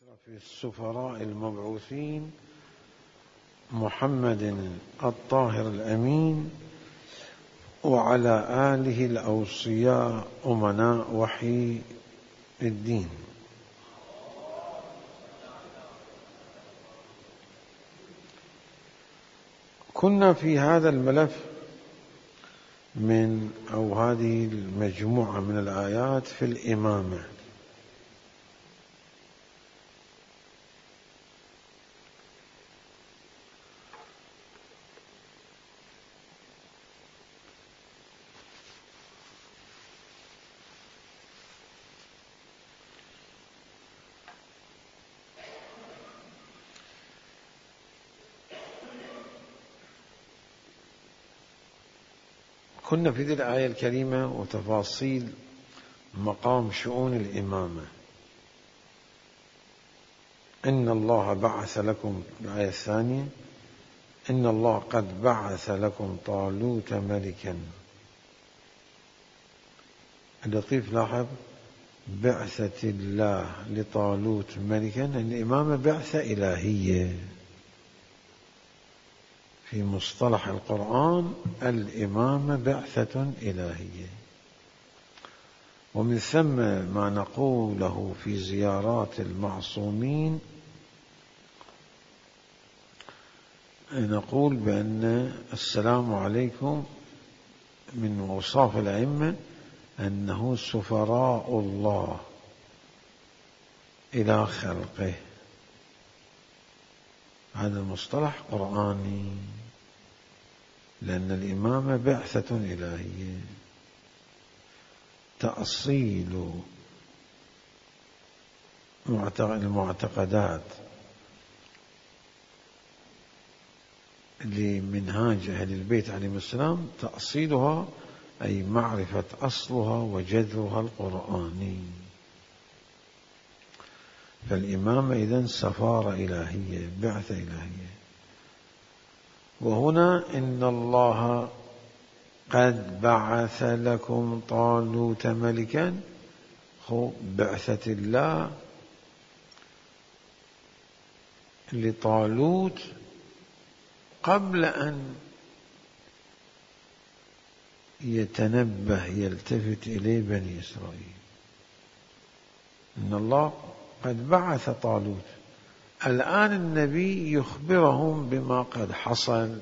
أشرف السفراء المبعوثين محمد الطاهر الأمين وعلى آله الأوصياء أمناء وحي الدين. كنا في هذا الملف أو هذه المجموعة من الآيات في الإمامة. كنا في ذي الآية الكريمة وتفاصيل مقام شؤون الإمامة. إن الله بعث لكم، الآية الثانية، إن الله قد بعث لكم طالوت ملكا. اللطيف لاحظ بعثة الله لطالوت ملكا، الإمامة بعثة إلهية. في مصطلح القرآن الإمامة بعثة إلهية، ومن ثم ما نقوله في زيارات المعصومين نقول بأن السلام عليكم من أوصاف الأئمة أنه سفراء الله إلى خلقه. هذا المصطلح قرآني، لأن الإمامة بعثة إلهية. تأصيل المعتقدات لمنهاج أهل البيت عليهم السلام، تأصيلها أي معرفة أصلها وجذرها القرآني. فالإمامة إذن سفارة إلهية، بعثة إلهية. وهنا إن الله قد بعث لكم طالوت ملكا، بعثة الله لطالوت قبل أن يتنبه يلتفت إليه بني إسرائيل. إن الله قد بعث طالوت، الآن النبي يخبرهم بما قد حصل،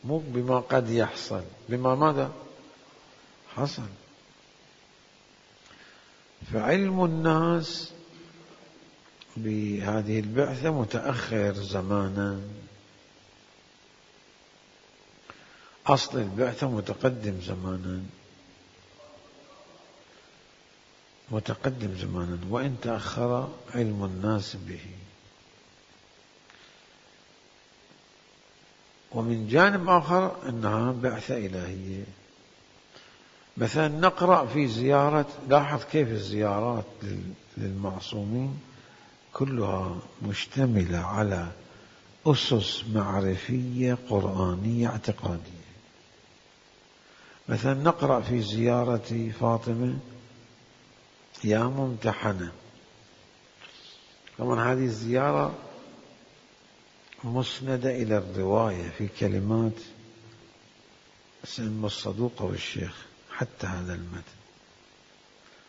مو بما قد يحصل، بما ماذا حصل. فعلم الناس بهذه البعثة متأخر زمانا، أصل البعثة متقدم زمانا، وإن تأخر علم الناس به. ومن جانب آخر أنها بعثة إلهية. مثلا نقرأ في زيارة، لاحظ كيف الزيارات للمعصومين كلها مشتملة على أسس معرفية قرآنية اعتقادية. مثلا نقرأ في زيارة فاطمة يا ممتحنة. طبعا هذه الزيارة مسندة إلى الرواية في كلمات سلم الصدوق والشيخ، حتى هذا المتن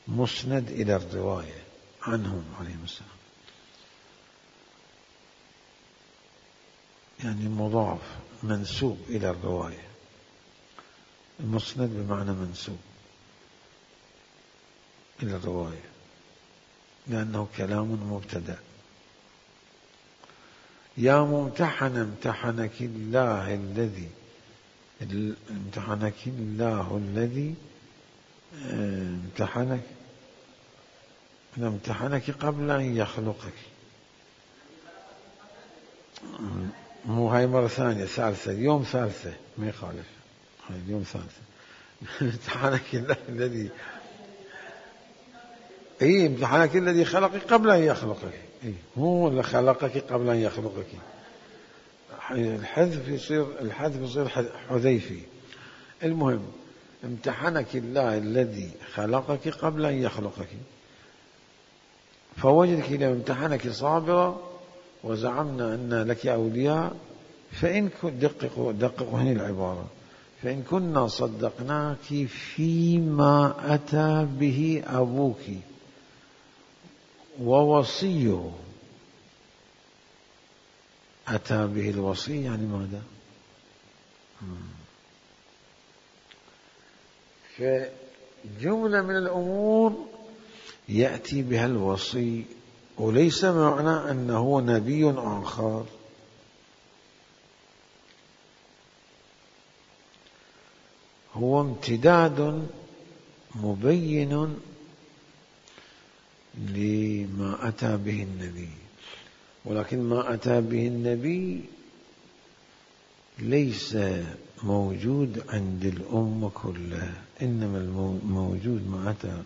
مسند إلى الرواية عنهم عليهم السلام، يعني مضاف منسوب إلى الرواية. المسند بمعنى منسوب إلى الرواية، لأنه كلام مبتدأ. يا ممتحن امتحنك الله الذي امتحنك قبل أن يخلقك. مو هاي مرة ثانية، ثالثة، يوم ثالثة، ما يخالف، هاي اليوم ثالثة. امتحنك الله الذي امتحنك الذي خلقك قبل أن يخلقك. هو اللي خلقك قبل أن يخلقك. الحذف يصير حذيفي. المهم امتحنك الله الذي خلقك قبل أن يخلقك. فوجدك لو امتحنك صابرة وزعمنا أن لك أولياء فإن دققوا هنا العبارة، فإن كنا صدقناك فيما أتى به أبوك ووصيه. أتى به الوصي يعني ماذا؟ فجملة من الأمور يأتي بها الوصي، وليس معنى أنه نبي آخر. هو امتداد مبين لما أتى به النبي، ولكن ما أتى به النبي ليس موجود عند الأمة كلها، إنما الموجود ما أتى،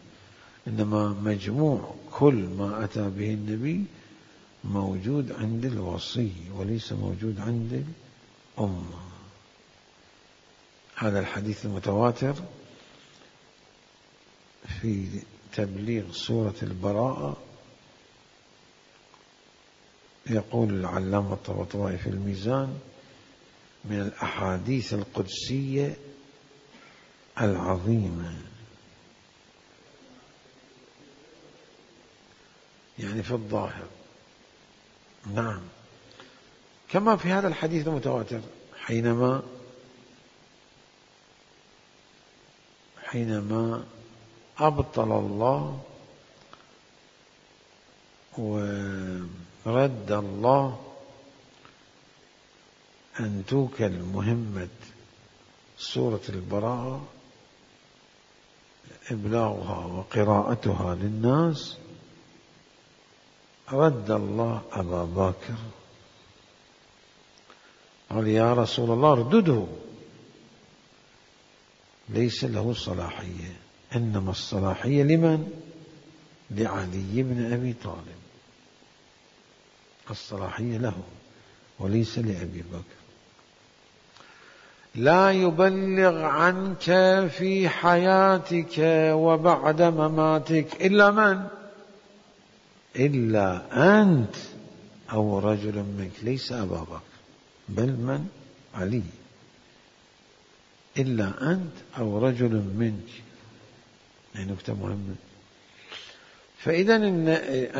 إنما مجموع كل ما أتى به النبي موجود عند الوصي وليس موجود عند الأمة. هذا الحديث المتواتر في تبليغ سورة البراءة يقول العلامة الطباطبائي في الميزان: من الأحاديث القدسية العظيمة، يعني في الظاهر. نعم، كما في هذا الحديث المتواتر حينما أبطل الله ورد الله أن توكل مهمة سورة البراءة إبلاغها وقراءتها للناس، رد الله أبا بكر، قال: يا رسول الله اردده، ليس له صلاحية، إنما الصلاحية لمن؟ لعلي بن أبي طالب، الصلاحية له وليس لأبي بكر. لا يبلغ عنك في حياتك وبعد مماتك إلا من؟ إلا أنت أو رجل منك، ليس أبا بكر بل من؟ علي. إلا أنت أو رجل منك، يعني نكتة مهمة. فإذا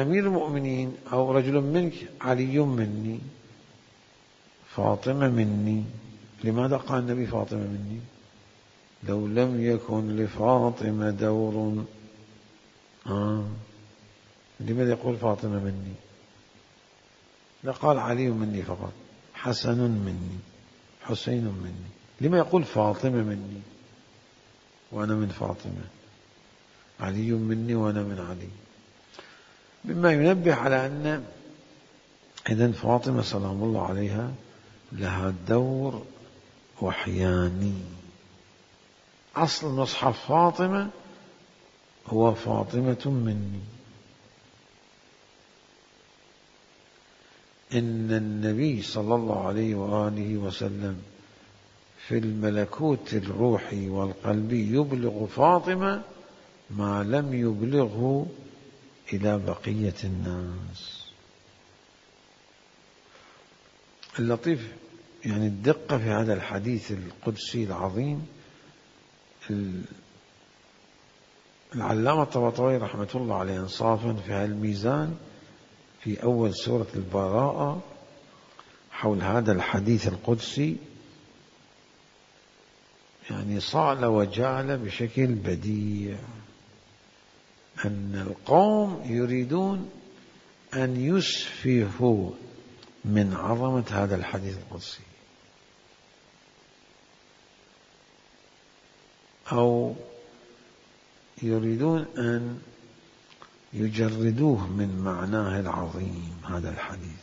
أمير المؤمنين أو رجل منك علي مني، فاطمة مني. لماذا قال النبي فاطمة مني؟ لو لم يكن لفاطمة دور، لماذا يقول فاطمة مني؟ لقال علي مني فقط، حسن مني، حسين مني. لما يقول فاطمة مني وأنا من فاطمة، علي مني وأنا من علي؟ مما ينبه على أن إذن فاطمة سلام الله عليها لها دور وحياني. أصل مصحف فاطمة هو فاطمة مني. إن النبي صلى الله عليه وآله وسلم في الملكوت الروحي والقلبي يبلغ فاطمة ما لم يبلغه إلى بقية الناس. اللطيف يعني الدقة في هذا الحديث القدسي العظيم، العلامة الطباطبائي رحمة الله عليه إنصافا في هذا الميزان في أول سورة البراءة حول هذا الحديث القدسي يعني صال وجال بشكل بديع، أن القوم يريدون أن يسفهوا من عظمة هذا الحديث القدسي، أو يريدون أن يجردوه من معناه العظيم هذا الحديث.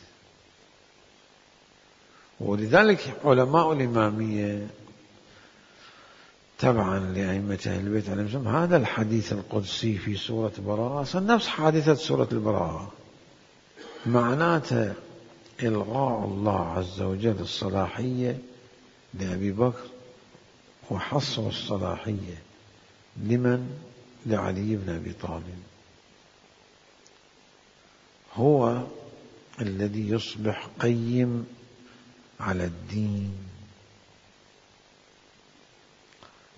ولذلك علماء الإمامية تبعا لأئمة أهل البيت عليهم السلام هذا الحديث القدسي في سورة براءة نفس حادثة سورة البراءة، معناته إلغاء الله عز وجل الصلاحية لأبي بكر وحصر الصلاحية لمن؟ لعلي بن أبي طالب. هو الذي يصبح قيم على الدين،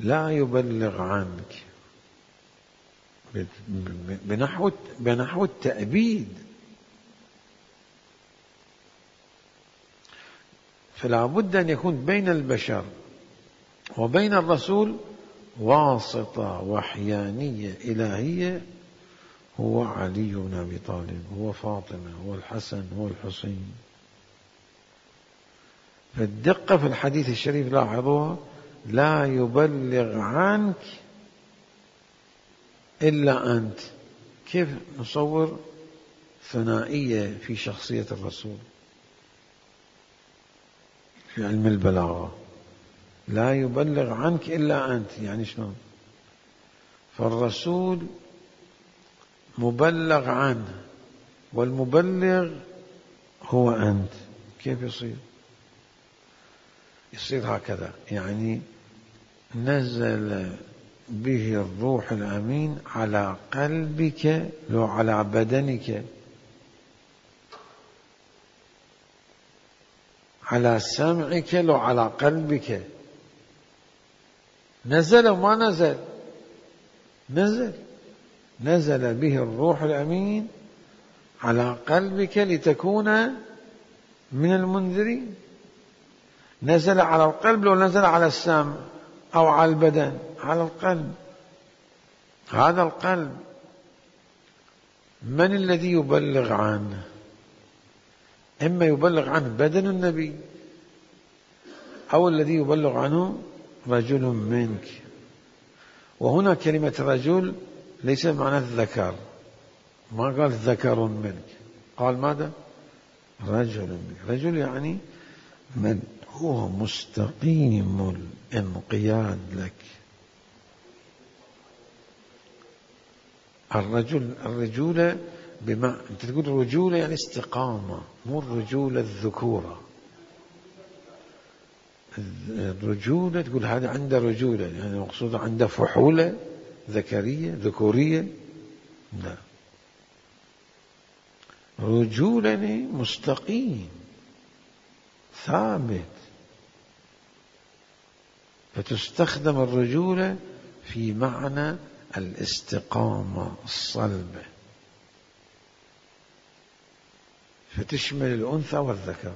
لا يبلغ عنك بنحو التأبيد. فلا بد أن يكون بين البشر وبين الرسول واسطة وحيانية إلهية، هو علي بن أبي طالب، هو فاطمة، هو الحسن، هو الحسين. فالدقة في الحديث الشريف لاحظوها: لا يبلغ عنك إلا أنت. كيف نصور ثنائية في شخصية الرسول في علم البلاغة؟ لا يبلغ عنك إلا أنت، يعني شلون؟ فالرسول مبلغ عنه والمبلغ هو أنت. كيف يصير؟ يصير هكذا، يعني نزل به الروح الأمين على قلبك لو على بدنك، على سمعك لو على قلبك. نزل وما نزل؟ نزل به الروح الأمين على قلبك لتكون من المنذرين. نزل على القلب لو نزل على السمع أو على البدن؟ على القلب. هذا القلب من الذي يبلغ عنه؟ إما يبلغ عنه بدن النبي، أو الذي يبلغ عنه رجل منك. وهنا كلمة رجل ليس معنى الذكر، ما قال ذكر منك، قال ماذا؟ رجل منك. رجل يعني من هو مستقيم الانقياد لك. الرجولة أنت تقول رجولة يعني استقامة، مو الرجولة الذكورة. الرجولة تقول هذا عنده رجولة، يعني مقصود عنده فحولة ذكرية ذكورية؟ لا، رجولة مستقيم ثابت. فتستخدم الرجولة في معنى الاستقامة الصلبة، فتشمل الأنثى والذكر.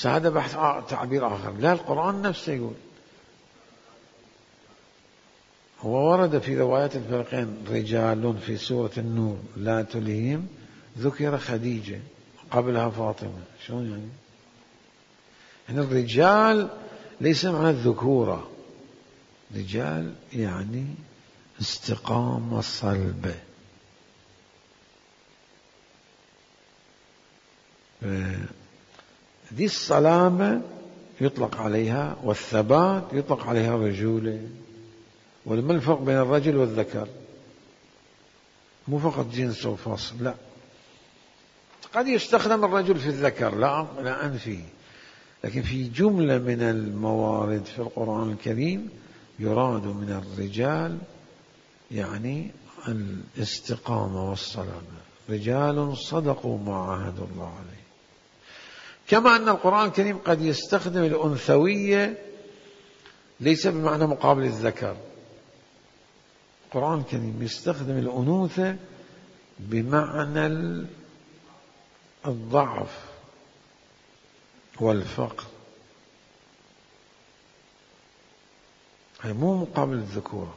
هذا بحث تعبير آخر. لا، القرآن نفسه يقول. هو ورد في روايات الفريقين رجال في سورة النور لا تلهيهم، ذكر خديجة قبلها فاطمة. شلون يعني؟ يعني الرجال ليس معنى الذكورة، رجال يعني استقامة صلبة. دي الصلابة يطلق عليها، والثبات يطلق عليها الرجولة. وما الفرق بين الرجل والذكر؟ مو فقط جنس وفصل، لا. قد يستخدم الرجل في الذكر، لا أنفي، لكن في جملة من الموارد في القرآن الكريم يراد من الرجال يعني الاستقامة والصلابة. رجال صدقوا ما عاهدوا الله عليه. كما أن القرآن الكريم قد يستخدم الأنثوية ليس بمعنى مقابل الذكر. القرآن الكريم يستخدم الأنوثة بمعنى الضعف والفقر، هي مو مقابل الذكورة.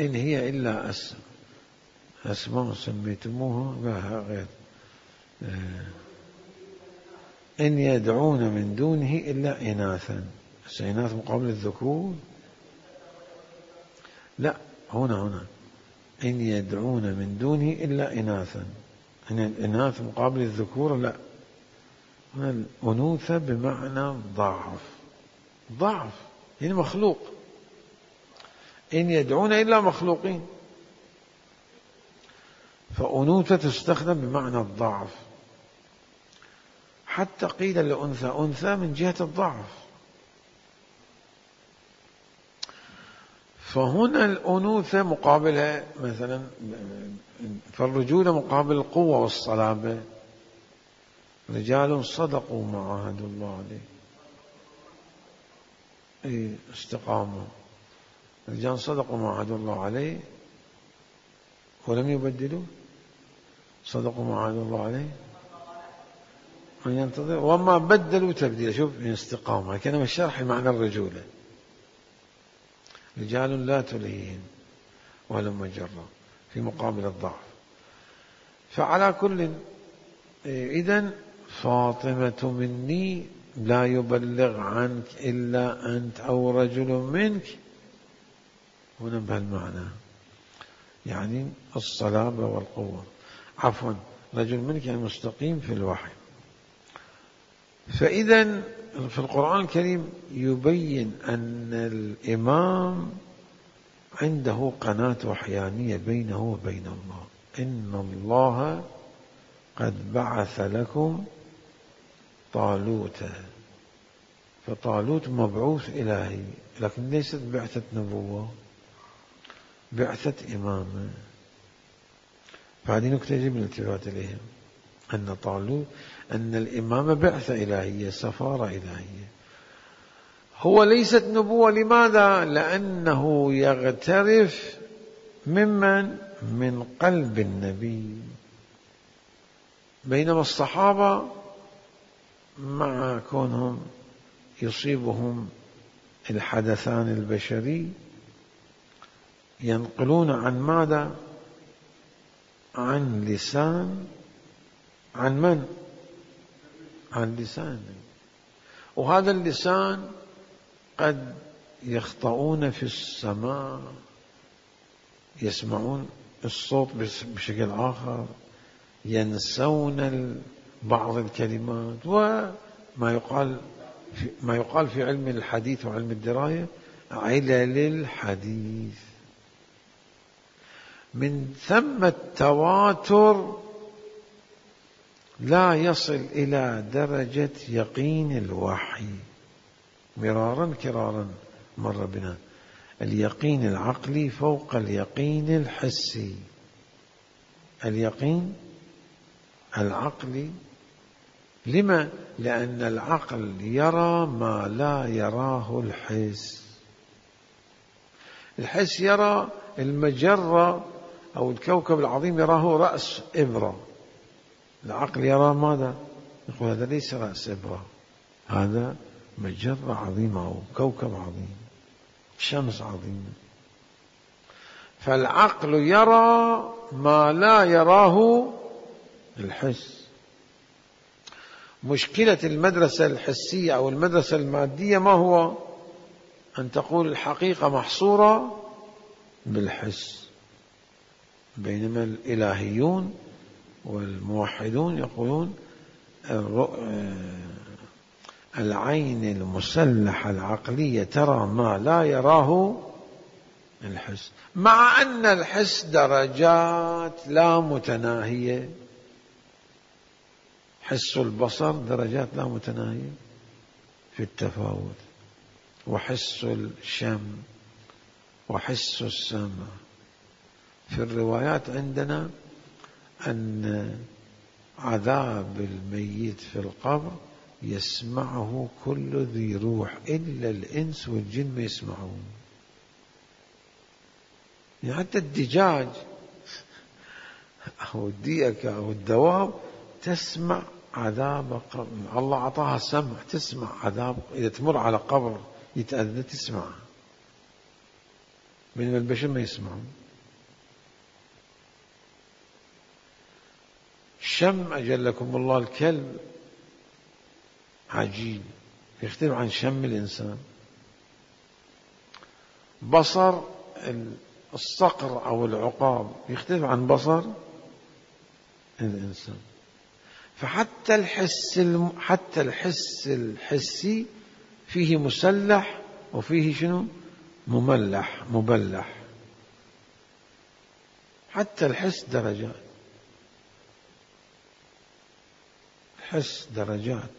إن هي إلا أسماء سميتموها بها غير، إن يدعون من دونه إلا إناثا. إناث مقابل الذكور؟ لا، هنا إن يدعون من دونه إلا إناثا. إن الإناث مقابل الذكور؟ لا، هنا الأنوثة بمعنى ضعف يعني مخلوق. إن يدعون إلا مخلوقين، فأنوثة تستخدم بمعنى الضعف. حتى قيل لأنثى أنثى من جهة الضعف. فهنا الأنوثة مقابلها مثلا، فالرجولة مقابل القوة والصلابة. رجال صدقوا ما عاهدوا الله عليه، استقاموا. رجال صدقوا ما عاهدوا الله عليه ولم يبدلوا، صدقوا ما عاهدوا الله عليه من ينتظر وما بدلوا تبديلا. شوف استقامة كلمة الشرح معنى الرجولة. رجال لا تلهيهم ولا مجرة في مقابل الضعف. فعلى كل إذن فاطمة مني لا يبلغ عنك إلا أنت أو رجل منك. هنا بهالمعنى يعني الصلابة والقوة، عفوا رجل منك يعني مستقيم في الوحي. فإذا في القرآن الكريم يبين أن الإمام عنده قناة وحيانية بينه وبين الله. إن الله قد بعث لكم طالوت. فطالوت مبعوث إلهي، لكن ليست بعثة نبوة، بعثة إمامة. فهذه نكتة يجب الالتفات إليها، أن طالوت أن الإمامة بعثة إلهية، سفارة إلهية. هو ليست نبوة. لماذا؟ لأنه يغترف من قلب النبي. بينما الصحابة مع كونهم يصيبهم الحدثان البشري ينقلون عن ماذا؟ عن لسان، عن من؟ عن لسان. وهذا اللسان قد يخطئون في السماع، يسمعون الصوت بشكل آخر، ينسون بعض الكلمات. وما يقال في علم الحديث وعلم الدراية علل الحديث. من ثم التواتر لا يصل إلى درجة يقين الوحي. مرارا كرارا مر بنا اليقين العقلي فوق اليقين الحسي. اليقين العقلي لما؟ لأن العقل يرى ما لا يراه الحس. الحس يرى المجرة أو الكوكب العظيم يراه رأس إبرة، العقل يرى ماذا؟ يقول هذا ليس رأس إبرة، هذا مجرة عظيمة أو كوكب عظيم، شمس عظيمة. فالعقل يرى ما لا يراه الحس. مشكلة المدرسة الحسية أو المدرسة المادية ما هو؟ أن تقول الحقيقة محصورة بالحس. بينما الإلهيون والموحدون يقولون العين المسلحة العقلية ترى ما لا يراه الحس، مع أن الحس درجات لا متناهية. حس البصر درجات لا متناهية في التفاوت، وحس الشم وحس السمع. في الروايات عندنا أن عذاب الميت في القبر يسمعه كل ذي روح إلا الإنس والجن ما يسمعون. يعني حتى الدجاج أو الديكة أو الدواب تسمع عذاب قبر. الله أعطاها سمع تسمع عذاب، إذا تمر على قبر يتأذى تسمع، بينما البشر ما يسمعون. شم أجلكم الله الكلب عجيب، يختلف عن شم الإنسان. بصر الصقر أو العقاب يختلف عن بصر الإنسان. فحتى الحس الحسي فيه مسلح وفيه شنو؟ مبلح. حتى الحس درجات، الحس درجات،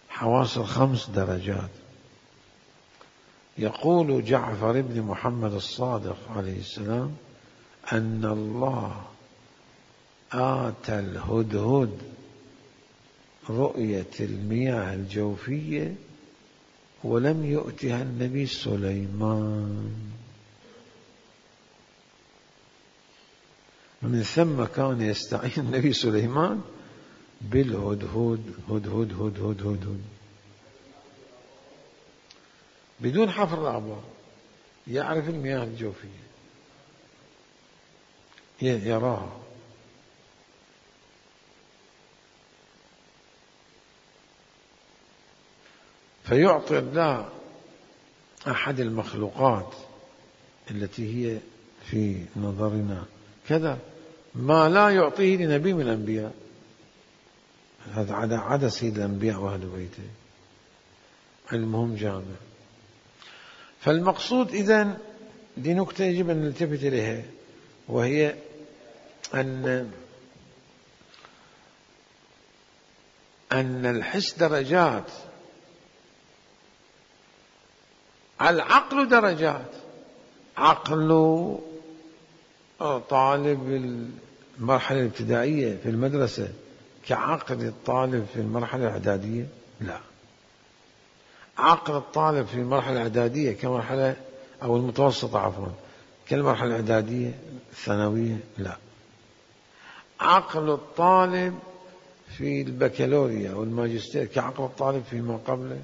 حواس الخمس درجات. يقول جعفر بن محمد الصادق عليه السلام أن الله آتى الهدهد رؤية المياه الجوفية ولم يؤتها النبي سليمان. من ثم كان يستعين النبي سليمان بالهدهد. هدهد هدهد هدهد بدون حفر الآبار، يعرف المياه الجوفية، يراها. فيعطي الله أحد المخلوقات التي هي في نظرنا كذا ما لا يعطيه لنبي من الأنبياء. هذا عدا سيد الأنبياء وأهل بيته، علمهم جامع. فالمقصود إذن دي نكتة يجب أن نلتفت إليها، وهي أن الحس درجات، العقل درجات. عقل طالب المرحلة الابتدائية في المدرسة كعقل الطالب في المرحلة الإعدادية؟ لا. عقل الطالب في المرحلة الإعدادية كمرحلة أو المتوسطة عفوا كالمرحلة الإعدادية الثانوية؟ لا. عقل الطالب في البكالوريا أو الماجستير كعقل الطالب فيما قبله؟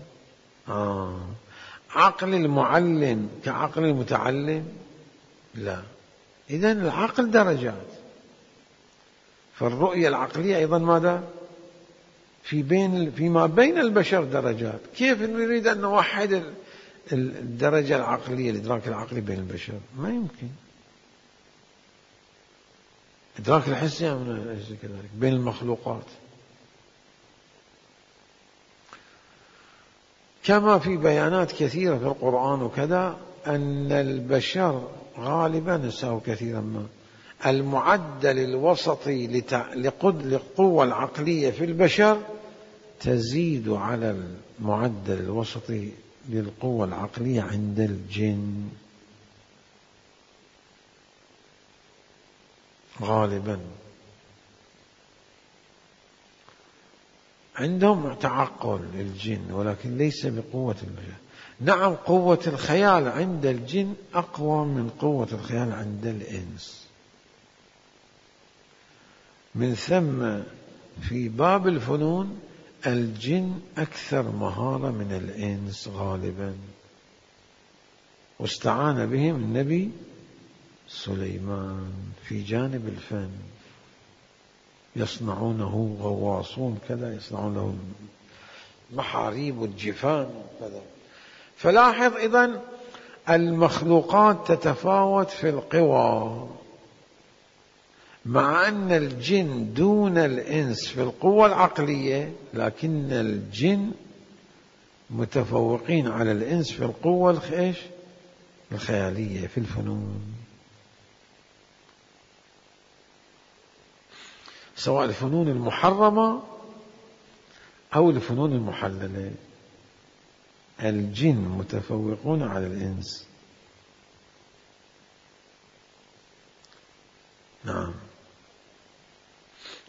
عقل المعلم كعقل المتعلم؟ لا. إذن العقل درجات. فالرؤية العقلية أيضا ماذا؟ فيما بين البشر درجات. كيف نريد أن نوحد الدرجة العقلية، الإدراك العقلي بين البشر؟ ما يمكن. إدراك الحسي كذلك بين المخلوقات. كما في بيانات كثيرة في القرآن وكذا أن البشر غالبا نساء كثيرا ما المعدل الوسطي للقوة العقلية في البشر تزيد على المعدل الوسطي للقوة العقلية عند الجن غالبا. عندهم تعقل الجن ولكن ليس بقوة البشر. نعم قوة الخيال عند الجن أقوى من قوة الخيال عند الإنس. من ثم في باب الفنون الجن أكثر مهارة من الإنس غالبا، واستعان بهم النبي سليمان في جانب الفن. يصنعونه غواصون كذا، يصنعون له محاريب والجفان وكذا. فلاحظ إذن المخلوقات تتفاوت في القوى، مع أن الجن دون الإنس في القوة العقلية، لكن الجن متفوقين على الإنس في القوة الخيالية في الفنون، سواء الفنون المحرمة أو الفنون المحللة. الجن متفوقون على الإنس. نعم،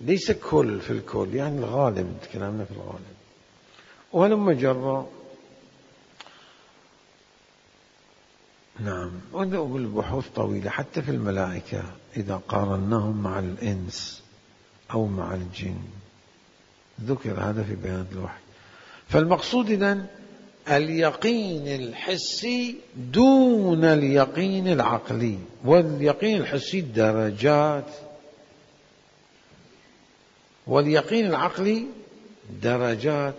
ليس كل في الكل، يعني الغالب، كلامنا في الغالب. ولما جرى نعم، والبحوث طويلة حتى في الملائكة إذا قارناهم مع الإنس أو مع الجن، ذكر هذا في بيان الوحي. فالمقصود إذن اليقين الحسي دون اليقين العقلي، واليقين الحسي درجات، واليقين العقلي درجات،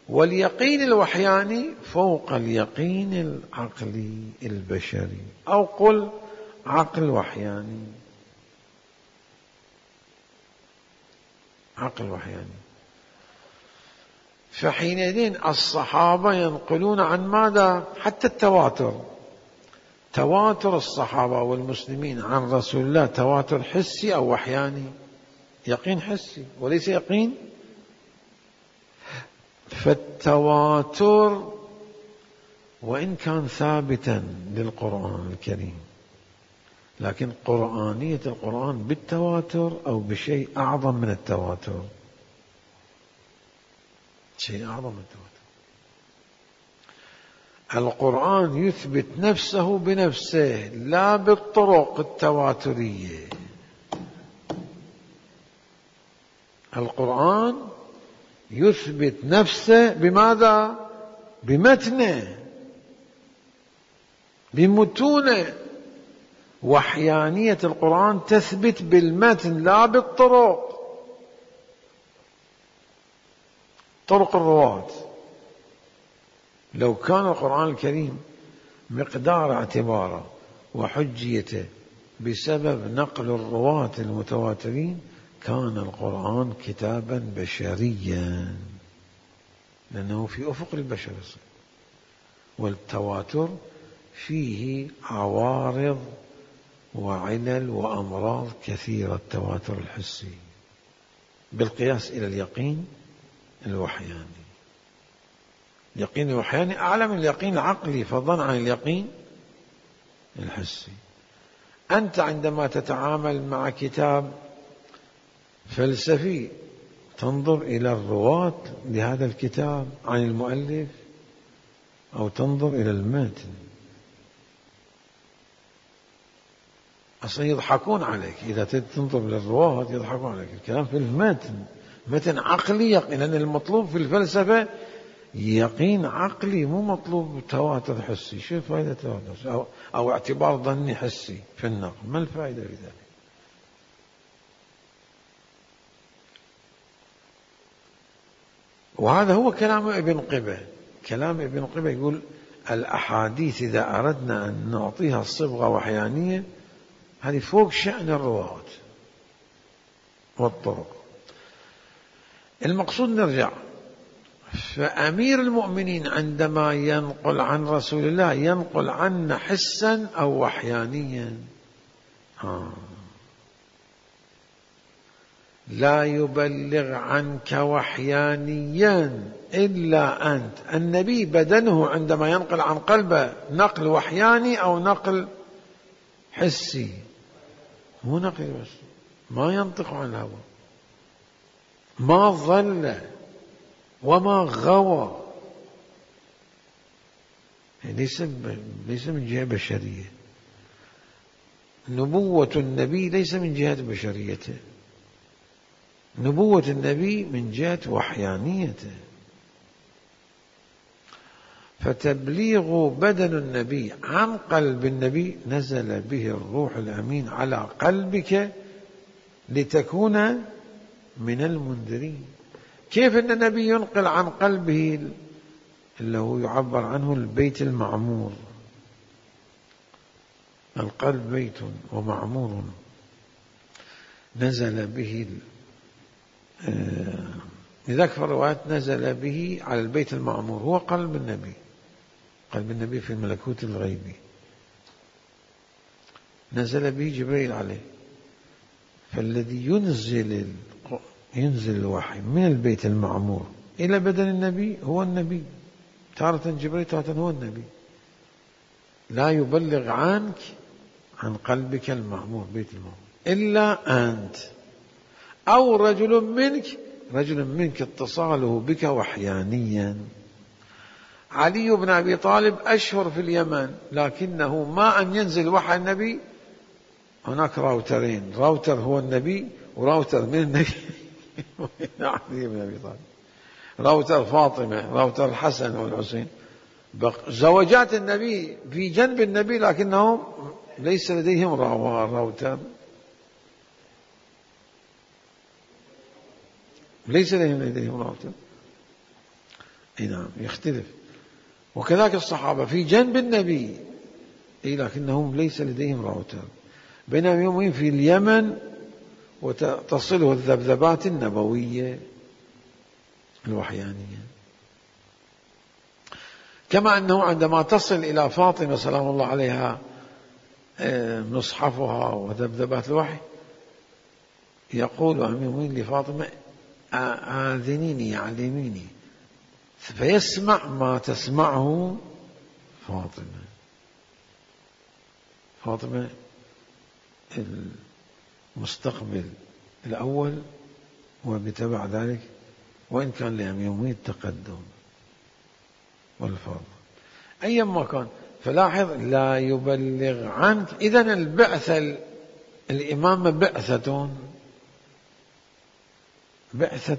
واليقين الوحياني فوق اليقين العقلي البشري، أو قل عقل وحياني، عقل وحياني. فحينئذ الصحابة ينقلون عن ماذا؟ حتى التواتر، تواتر الصحابة والمسلمين عن رسول الله تواتر حسي أو وحياني؟ يقين حسي وليس يقين. فالتواتر وإن كان ثابتا للقرآن الكريم، لكن قرآنية القرآن بالتواتر أو بشيء أعظم من التواتر، شيء أعظم من التواتر. القرآن يثبت نفسه بنفسه لا بالطرق التواترية. القرآن يثبت نفسه بماذا؟ بمتنه، بمتونه. وحيانية القرآن تثبت بالمتن لا بالطرق، طرق الرواة. لو كان القرآن الكريم مقدار اعتباره وحجيته بسبب نقل الرواة المتواترين كان القرآن كتابا بشريا، لأنه في أفق البشر، والتواتر فيه عوارض وعلل وأمراض كثيرة. التواتر الحسي بالقياس إلى اليقين الوحياني. اليقين الوحياني أعلى من اليقين العقلي فضلا عن اليقين الحسي. أنت عندما تتعامل مع كتاب فلسفي تنظر إلى الرواة لهذا الكتاب عن المؤلف أو تنظر إلى المتن. أصلا يضحكون عليك إذا تنظر للرواة، يضحكون عليك. الكلام في المتن، متن عقلي يقين، لأن المطلوب في الفلسفة يقين عقلي، مو مطلوب تواتر حسي. شو فائدة تواتر أو اعتبار ظني حسي في النقل؟ ما الفائدة في ذلك؟ وهذا هو كلام ابن قبة. كلام ابن قبة يقول الأحاديث إذا أردنا أن نعطيها صبغة وحيانية هذه فوق شأن الرواة والطرق. المقصود نرجع، فأمير المؤمنين عندما ينقل عن رسول الله ينقل عنا حسا أو وحيانيا. لا يبلغ عنك وحيانيا إلا أنت. النبي بدنه عندما ينقل عن قلبه نقل وحياني أو نقل حسي، مو نقل بس، ما ينطق عن الهوى، ما ضل وما غوى. ليس من جهة بشرية. نبوة النبي ليس من جهة بشريته، نبوة النبي من جهة وحيانيته. فتبليغ بدن النبي عن قلب النبي نزل به الروح الأمين على قلبك لتكون من المنذرين. كيف أن النبي ينقل عن قلبه اللي هو يعبر عنه البيت المعمور؟ القلب بيت ومعمور، نزل به لذلك في الروايات نزل به على البيت المعمور، هو قلب النبي. قلب النبي في الملكوت الغيبي نزل به جبريل عليه. فالذي ينزل الوحي من البيت المعمور إلى بدن النبي هو النبي، تارة جبريل تارة هو النبي. لا يبلغ عنك عن قلبك المعمور بيت المعمور إلا أنت أو رجل منك اتصاله بك وحيانيا. علي بن أبي طالب أشهر في اليمن، لكنه ما أن ينزل وحي النبي هناك راوترين، راوتر هو النبي وراوتر من النبي علي بن أبي طالب، راوتر فاطمة، راوتر الحسن والحسين، زوجات النبي في جنب النبي لكنهم ليس لديهم راوتر، ليس لديهم راوتر. نعم يختلف. وكذلك الصحابة في جنب النبي لكنهم ليس لديهم راوتر، بينما يومين في اليمن وتصله الذبذبات النبوية الوحيانية. كما أنه عندما تصل إلى فاطمة سلام الله عليها مصحفها وذبذبات الوحي يقول أمير المؤمنين لفاطمة آذنيني علميني، فيسمع ما تسمعه فاطمة المستقبل الأول، وبتبع ذلك وإن كان لأميومية التقدم والفضل أيما كان. فلاحظ لا يبلغ عنك. إذن البعثة الإمامة بعثة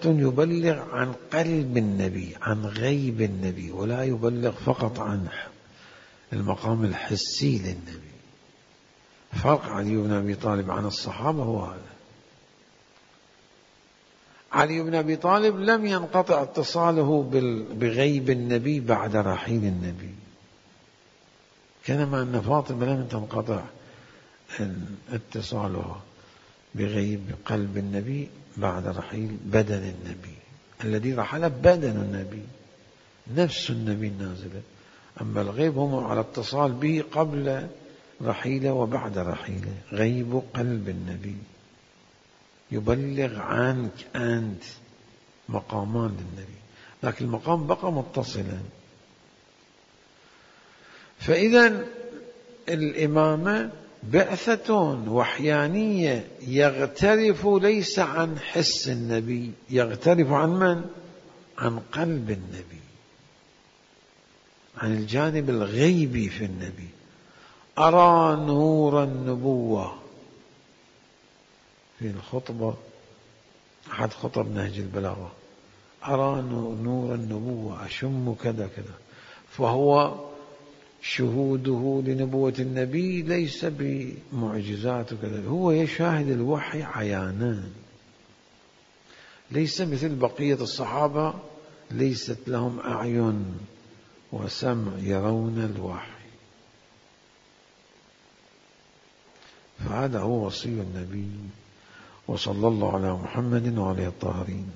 يبلغ عن قلب النبي، عن غيب النبي، ولا يبلغ فقط عن المقام الحسي للنبي. فرق علي بن أبي طالب عن الصحابة هو هذا. علي بن أبي طالب لم ينقطع اتصاله بغيب النبي بعد رحيل النبي، كما أن فاطمة لم تنقطع اتصالها بغيب قلب النبي بعد رحيل بدن النبي. الذي رحل بدن النبي، نفس النبي النازلة، أما الغيب هم على اتصال به قبل رحيله وبعد رحيله. غيب قلب النبي يبلغ عنك أنت مقامان للنبي، لكن المقام بقى متصلا. فإذا الإمامة بعثة وحيانية يغترف ليس عن حس النبي، يغترف عن من؟ عن قلب النبي، عن الجانب الغيبي في النبي. أرى نور النبوة في الخطبة، أحد خطب نهج البلاغة، أرى نور النبوة، أشم كذا كذا. فهو شهوده لنبوة النبي ليس بمعجزات وكذا، هو يشاهد الوحي عيانا، ليس مثل بقية الصحابة ليست لهم أعين وسمع يرون الوحي. فهذا هو وصي النبي، وصلى الله على محمد وعلى الطاهرين.